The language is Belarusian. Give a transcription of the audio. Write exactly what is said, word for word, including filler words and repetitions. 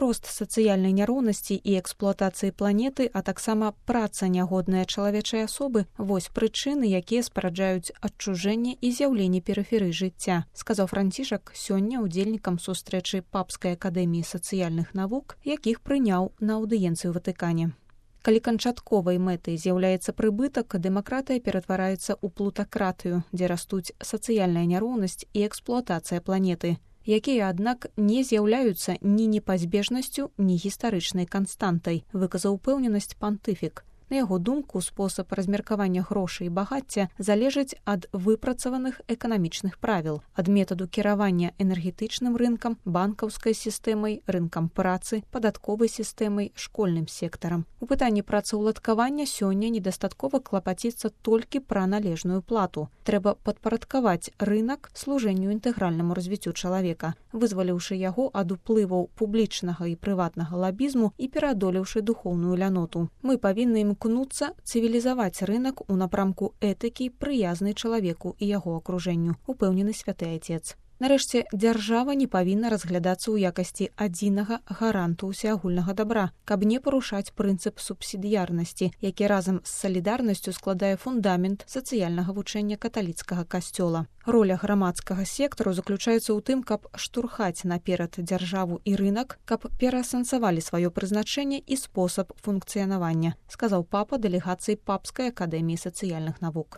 Рост сацыяльнай няроўнасці і эксплуатацыі планеты, а таксама праца нягодная чалавечай асобы – вось прычыны, якія спараджаюць адчужэнне і з'яўленне перыферый жыцця, сказаў Францішак сёння удзельнікам сустрэчы Папскай акадэміі сацыяльных навук, якіх прыняў на аўдыенцыю ў Ватыкане. Калі канчатковай мэтай з'яўляецца прыбытак, дэмакратыя ператвараецца ў плутакратыю, дзе растуць сацыяльная няроўнасць і эксплуатацыя планеты, якія, аднак, не з'яўляюцца ні непазбежнасцю, ні гістарычнай канстантай, выказаў упэўненасць пантыфік. На яго думку, спосаб размеркавання грошай і багацця залежыць ад выпрацаваных эканамічных правіл, ад метаду кіравання энергетычным рынкам, банкаўскай сістэмай, рынкам працы, падатковай сістэмай, школьным сектарам. У пытанні працаўладкавання сёння недастаткова клапаціцца толькі пра належную плату. Трэба падпарадкаваць рынак служэнню інтэгральнаму развіццю чалавека, вызваліўшы яго ад уплываў публічнага і прыватнага лабізму і пераадолеўшы духоўную ляноту. Мы павінны ім імкнуцца цывілізаваць рынак у напрамку этыкі, прыязнай чалавеку і яго акружэнню, упэўнены святы айцец. Нарэшце, дзяржава не павінна разглядацца ў якасці адзінага гаранту ўсеагульнага дабра, каб не парушаць прынцып субсідыярнасці, які разам з салідарнасцю складае фундамент сацыяльнага вучэння каталіцкага касцёла. Роля грамадскага сектару заключаецца ў тым, каб штурхаць наперад дзяржаву і рынак, каб пераасэнсавалі сваё прызначэнне і спосаб функцыянавання, сказаў папа дэлегацыі Папскай акадэміі сацыяльных навук.